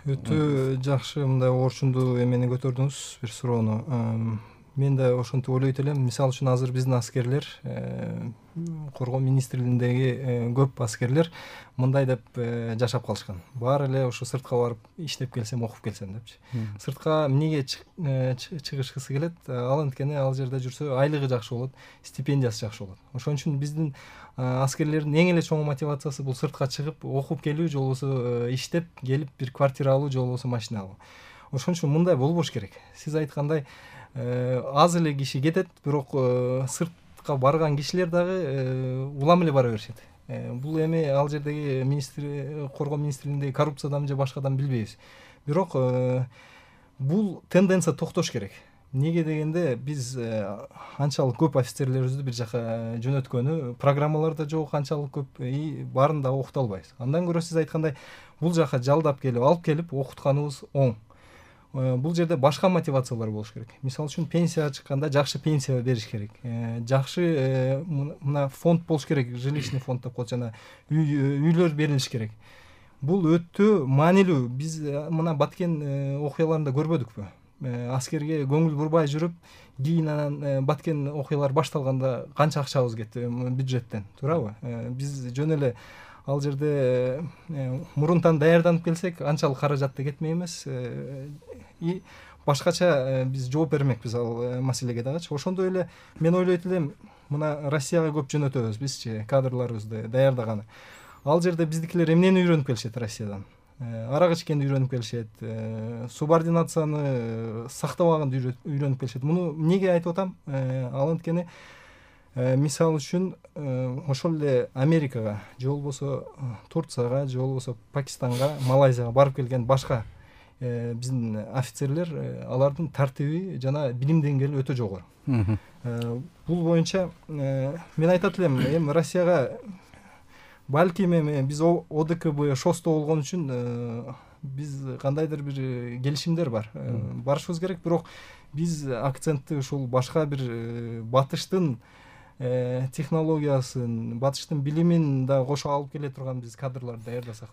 Өтө жакшы мындай орчундуу эмени көтөрдүңүз, бир суроону. Мен да ошентип ойлойт элем. Мисалы үчүн азыр биздин аскерлер, коргоо министрлигиндеги көп аскерлер мындай деп жашап калышкан. Баары эле ошо сыртка барып иштеп келсем, окуп келсем депчи. Сыртка эмнеге чыгышкысы келет? Ал анткени ал жерде жүрсө айлыгы жакшы болот, стипендиясы жакшы болот. Ошон үчүн биздин аскерлердин эң эле чоң мотивациясы бул сыртка чыгып окуп келүү, же болбосо иштеп келип бир квартира алуу, же болбосо машина алуу. Ошон үчүн мындай болбош керек. Сиз айткандай аз эле киши кетет, бирок сыртка барган кишилер дагы улам эле бара беришет. Бул эми ал жердеги коргоо министрлигиндеги коррупциядан же башкадан билбейбиз. Бирок бул тенденция токтош керек. Неге дегенде биз анчалык көп офицерлерибизди бир жака жөнөткөнү, программалар да жок анчалык көп, баарын да окута албайбыз. Андан көрө сиз айткандай бул жака жалдап келип, алып келип окутканыбыз оң. Бул жерде башка мотивациялар болуш керек. Мисалы үчүн пенсияга чыкканда жакшы пенсия бериш керек. Жакшы мына фонд болуш керек, жилищный фонд деп коет, жана үйлөр берилиш керек. Бул өтө маанилүү. Биз мына Баткен окуяларында көрбөдүкпү? Аскерге көңүл бурбай жүрүп, кийин анан Баткен окуялар башталганда канча акчабыз кетти бюджеттен, туурабы? Биз жөн эле ал жерде мурунтан даярданып келсек, анчалык каражат да кетмек эмес. И башкача биз жооп бермекпиз ал маселеге дагычы. Ошондой эле мен ойлойт элем, мына Россияга көп жөнөтөбүз бизчи кадрларыбызды даярдаганы. Ал жерде биздикилер эмнени үйрөнүп келишет Россиядан? Арак ичкенди үйрөнүп келишет, субординацияны сактабаганды үйрөнүп келишет. Муну эмнеге айтып атам? Ал анткени мисалы үчүн ошол эле Америкага, же болбосо Турцияга, же болбосо Пакистанга, Малайзияга барып келген башка биздин офицерлер, алардын тартиби жана билим деңгээли өтө жогору. Бул боюнча мен айтат элем, эми Россияга балким эми биз ОДКБ ШОСто болгон үчүн биз кандайдыр бир келишимдер бар. Барышыбыз керек, бирок биз акцентти ушул башка бир батыштын технологиясын, батыштын билимин да кошо алып келе турган биз кадрларды даярдасак.